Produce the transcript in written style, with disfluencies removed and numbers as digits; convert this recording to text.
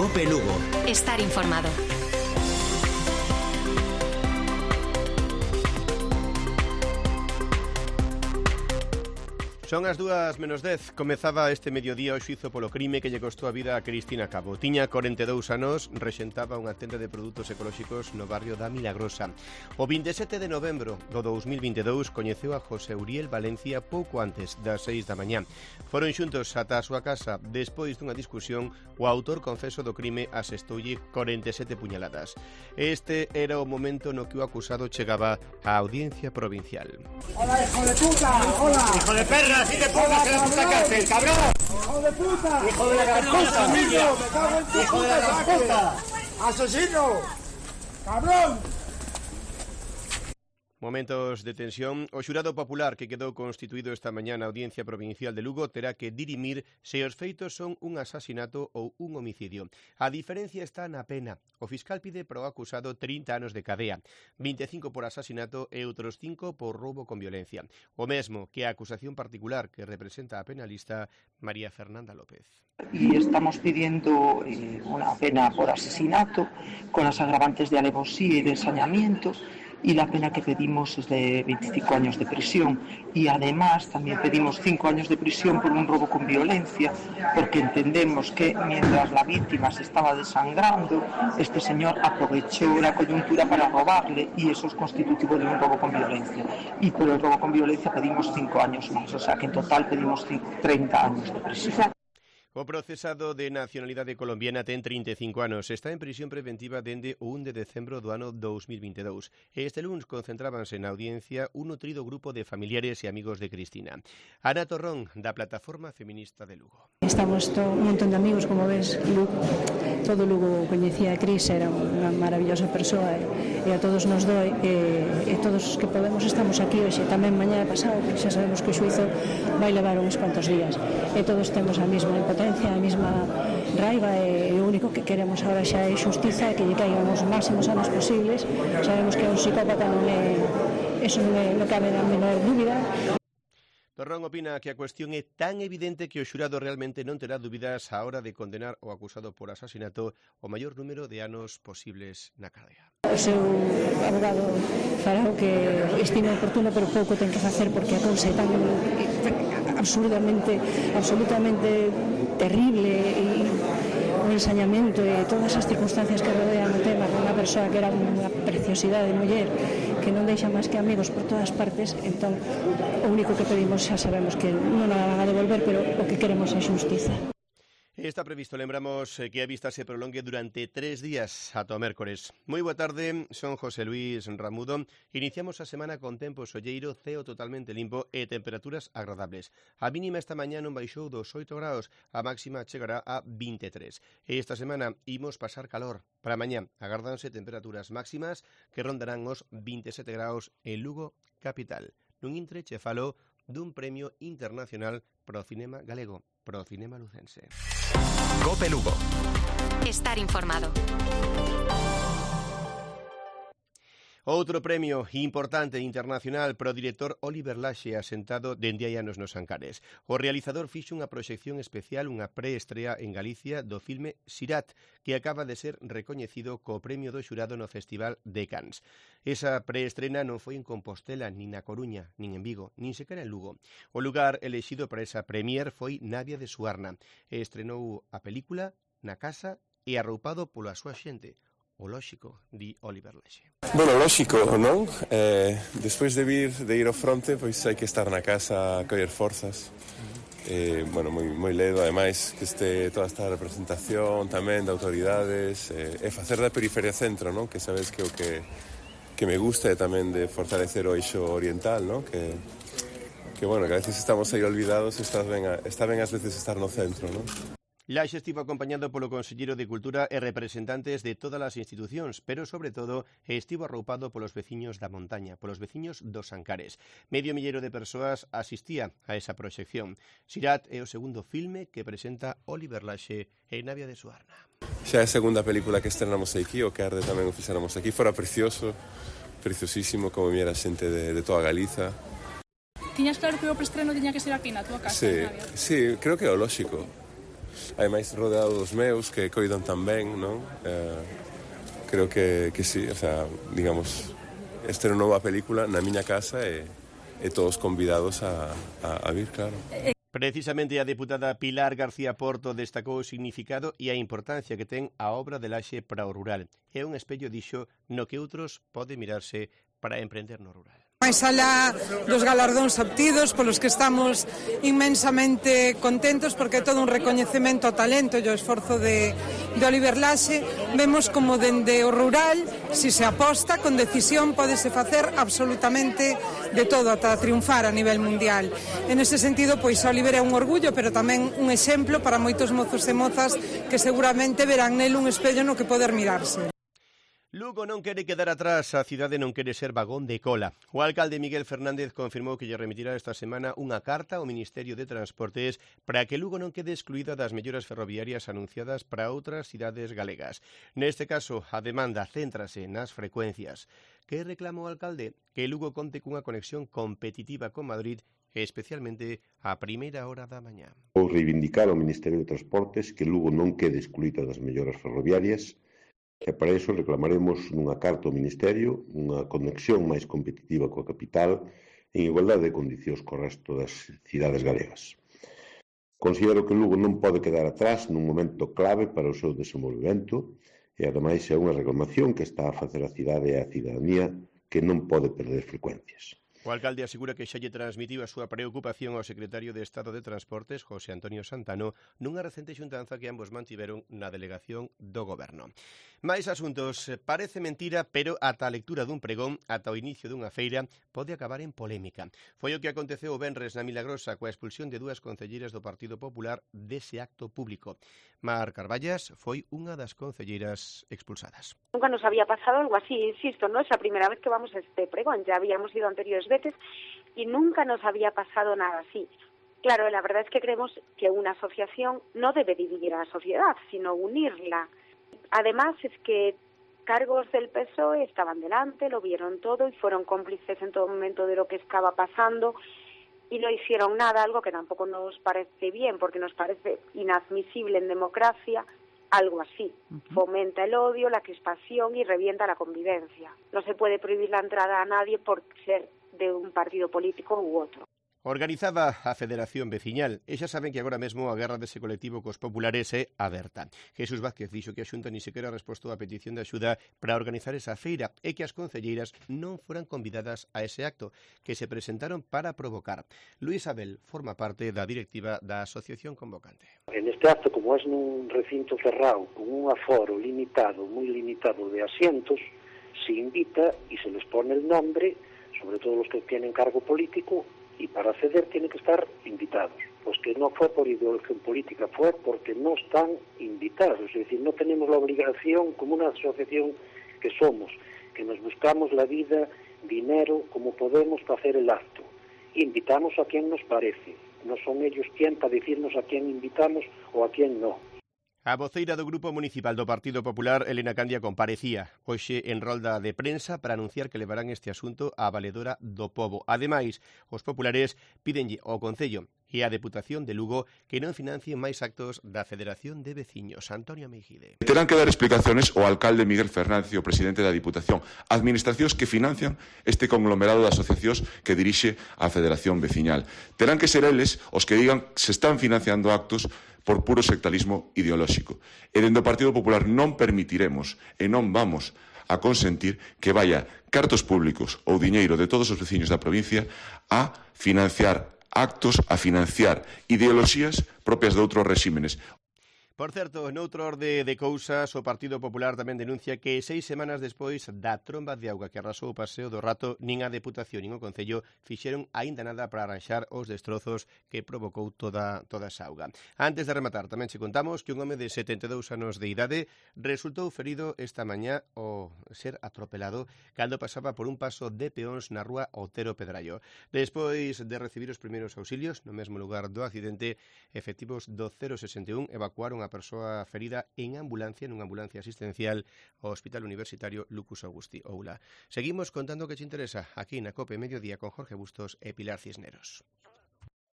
COPE Lugo. Estar informado. Son as 2:10. Comezaba este mediodía o xuízo polo crime que lle costou a vida a Cristina Cabo. Tiña 42 anos, rexentaba unha tenda de produtos ecolóxicos no barrio da Milagrosa. O 27 de novembro do 2022 coñeceu a José Uriel Valencia pouco antes das 6 da mañá. Foron xuntos ata a súa casa. Despois dunha discusión, o autor confeso do crime asestoulle 47 puñaladas. Este era o momento no que o acusado chegaba á audiencia provincial. ¡Hola, hijo de puta! ¡Hola! ¡Hijo de perra! ¡Así te pongas en la puta cárcel, cabrón! ¡Hijo de puta! ¡Hijo de la gran puta! ¡Me cago en tu ¡Hijo de la gran puta! ¡Asesino! ¡Cabrón! Momentos de tensión. O xurado popular que quedou constituído esta mañá na Audiencia Provincial de Lugo terá que dirimir se os feitos son un asasinato ou un homicidio. A diferencia está na pena. O fiscal pide pro acusado 30 anos de cadea, 25 por asasinato e outros 5 por roubo con violencia. O mesmo que a acusación particular que representa a penalista María Fernanda López. Y estamos pidiendo una pena por asesinato con las agravantes de alevosía y de ensañamiento, y la pena que pedimos es de 25 años de prisión, y además también pedimos 5 años de prisión por un robo con violencia, porque entendemos que mientras la víctima se estaba desangrando, este señor aprovechó la coyuntura para robarle, y eso es constitutivo de un robo con violencia, y por el robo con violencia pedimos 5 años más, o sea que en total pedimos 30 años de prisión. O procesado de nacionalidade colombiana ten 35 anos. Está en prisión preventiva dende o 1 de decembro do ano 2022. Este luns concentrábanse na audiencia un nutrido grupo de familiares e amigos de Cristina. Ana Torrón, da Plataforma Feminista de Lugo. Estamos un montón de amigos, como ves, todo Lugo coñecía a Cris, era unha maravillosa persoa e a todos nos doi e todos os que podemos estamos aquí hoxe, tamén mañá pasado, que xa sabemos que o xuízo vai levar uns cuantos días e todos temos a mesma impotencia, a mesma raiva e o único que queremos agora xa é xustiza e que lle caigan os máximos anos posibles. Sabemos que é un psicópata, eso non cabe a menor dúbida. Torrón opina que a cuestión é tan evidente que o xurado realmente non terá dúbidas á hora de condenar o acusado por asasinato o maior número de anos posibles na cadea. O seu abogado fará o que estima oportuno, pero pouco ten que facer porque a cousa é tan absolutamente terrible e o ensañamento e todas as circunstancias que rodean o tema con unha persoa que era unha preciosidade de muller que non deixa máis que amigos por todas partes. Entón, o único que pedimos xa sabemos que non a van a devolver, pero o que queremos é xustiza. Está previsto, lembramos, que a vista se prolongue durante 3 días ata o mércores. Moi boa tarde, son José Luis Ramudo. Iniciamos a semana con tempo solleiro, ceo totalmente limpo e temperaturas agradables. A mínima esta mañá non baixou dos 8 graus, a máxima chegará a 23. E esta semana imos pasar calor. Para mañá agardanse temperaturas máximas que rondarán os 27 graus en Lugo capital. Nun intre che falo dun premio internacional pro cinema galego, pro cinema lucense. COPE Lugo. Estar informado. Outro premio importante internacional pro director Oliver Laxe, asentado dende hai anos nos Ancares. O realizador fixo unha proxección especial, unha preestrea en Galicia do filme Sirat, que acaba de ser recoñecido co premio do xurado no Festival de Cannes. Esa preestrena non foi en Compostela, nin na Coruña, nin en Vigo, nin sequera en Lugo. O lugar elexido para esa premier foi Navia de Suarna, e estrenou a película na casa e arroupado pola súa xente. O lóxico, di Oliver Laxe. Bueno, lóxico, non? Despois de ir ao fronte, pois hai que estar na casa a coller forzas. Bueno, moi ledo, ademais, que este toda esta representación tamén de autoridades e facer da periferia centro, non? Que sabes que o que me gusta é tamén de fortalecer o eixo oriental, non? Que bueno, que a veces estamos aí olvidados e está ben ás veces estar no centro, non? Laxe estivo acompañado polo Conselleiro de Cultura e representantes de todas as institucións, pero, sobre todo, estivo arroupado polos veciños da montaña, polos veciños dos Ancares. Medio millero de persoas asistía a esa proxección. Sirat é o segundo filme que presenta Oliver Laxe en Navia de Suarna. Xa é a segunda película que estrenamos aquí, o que arde tamén o fixéramos aquí. Fora precioso, preciosísimo, como viera xente de toda Galiza. Tiñas claro que o preestreno tiña que ser aquí na túa casa? Sí, creo que é o lóxico. ademais rodeado dos meus que coidan tamén, non? Creo que sí, o sea, digamos, esta é unha nova película na miña casa e todos convidados a vir, claro. Precisamente a deputada Pilar García Porto destacou o significado e a importancia que ten a obra de Laxe para o rural. É un espello, dixo, no que outros pode mirarse para emprender no rural. Máis alá dos galardóns obtidos polos que estamos inmensamente contentos porque é todo un recoñecemento ao talento e ao esforzo de Oliver Laxe, vemos como dende o rural, si se aposta con decisión, pódese facer absolutamente de todo ata triunfar a nivel mundial. En ese sentido, pois Oliver é un orgullo, pero tamén un exemplo para moitos mozos e mozas que seguramente verán nel un espello no que poder mirarse. Lugo non quere quedar atrás, a cidade non quere ser vagón de cola. O alcalde Miguel Fernández confirmou que lle remitirá esta semana unha carta ao Ministerio de Transportes para que Lugo non quede excluída das melloras ferroviarias anunciadas para outras cidades galegas. Neste caso, a demanda céntrase nas frecuencias. Que reclama o alcalde? Que Lugo conte cunha conexión competitiva con Madrid, especialmente a primeira hora da mañá. Vou reivindicar ao Ministerio de Transportes que Lugo non quede excluída das melloras ferroviarias, e para iso reclamaremos nunha carta ao Ministerio unha conexión máis competitiva coa capital en igualdade de condicións co resto das cidades galegas. Considero que Lugo non pode quedar atrás nun momento clave para o seu desenvolvemento e ademais é unha reclamación que está a facer a cidade e a cidadanía que non pode perder frecuencias. O alcalde asegura que xa lle transmitiu a súa preocupación ao secretario de Estado de Transportes, José Antonio Santano, nunha recente xuntanza que ambos mantiveron na delegación do Goberno. Mais asuntos, parece mentira, pero ata a lectura dun pregón, ata o inicio dunha feira, pode acabar en polémica. Foi o que aconteceu o venres na Milagrosa coa expulsión de 2 concelleiras do Partido Popular dese acto público. Mar Carballas foi unha das concelleiras expulsadas. Nunca nos había pasado algo así, insisto, no es la primera vez que vamos a este pregón, ya habíamos ido anteriores veces y nunca nos había pasado nada así. Claro, la verdad es que creemos que una asociación no debe dividir a la sociedad, sino unirla. Además es que cargos del PSOE estaban delante, lo vieron todo y fueron cómplices en todo momento de lo que estaba pasando y no hicieron nada, algo que tampoco nos parece bien, porque nos parece inadmisible en democracia algo así. Fomenta el odio, la crispación y revienta la convivencia. No se puede prohibir la entrada a nadie por ser de un partido político u otro. Organizaba a Federación Veciñal e xa saben que agora mesmo a guerra dese colectivo cos populares é aberta. Jesús Vázquez dixo que a Xunta ni sequera respostou á petición de axuda para organizar esa feira e que as concelleiras non foran convidadas a ese acto, que se presentaron para provocar. Luis Abel forma parte da directiva da asociación convocante. En este acto, como es nun recinto cerrado, con un aforo limitado, moi limitado de asientos, se invita y se les pone el nombre, sobre todo los que tienen cargo político, y para acceder tienen que estar invitados. Pues que no fue por ideología política, fue porque no están invitados. Es decir, no tenemos la obligación, como una asociación que somos, que nos buscamos la vida, dinero, como podemos para hacer el acto. Invitamos a quien nos parece. No son ellos quien para decirnos a quién invitamos o a quién no. A voceira do Grupo Municipal do Partido Popular, Elena Candia, comparecía hoxe en rolda de prensa para anunciar que levarán este asunto á valedora do pobo. Ademais, os populares pídenlle ao Concello e á Deputación de Lugo que non financien máis actos da Federación de Veciños. Antonio Meijide. Terán que dar explicaciones ao alcalde Miguel Fernández e ao presidente da Diputación, administracións que financian este conglomerado de asociacións que dirixe a Federación Veciñal. Terán que ser eles os que digan se están financiando actos por puro sectarismo ideolóxico. E dende o Partido Popular non permitiremos e non vamos a consentir que vaya cartos públicos ou diñeiro de todos os veciños da provincia a financiar actos, a financiar ideoloxías propias de outros réximenes. Por certo, noutro orde de cousas, o Partido Popular tamén denuncia que 6 semanas despois da tromba de auga que arrasou o Paseo do Rato, nin a Deputación nin o Concello fixeron aínda nada para arranxar os destrozos que provocou toda esa auga. Antes de rematar, tamén che contamos que un home de 72 anos de idade resultou ferido esta mañá ao ser atropelado cando pasaba por un paso de peóns na rúa Otero Pedrallo. Despois de recibir os primeiros auxilios no mesmo lugar do accidente, efectivos do 061 evacuaron a persoa ferida en ambulancia, nunha ambulancia asistencial ao Hospital Universitario Lucus Augusti Oula. Seguimos contando o que te interesa aquí na COPE Mediodía con Jorge Bustos e Pilar Cisneros.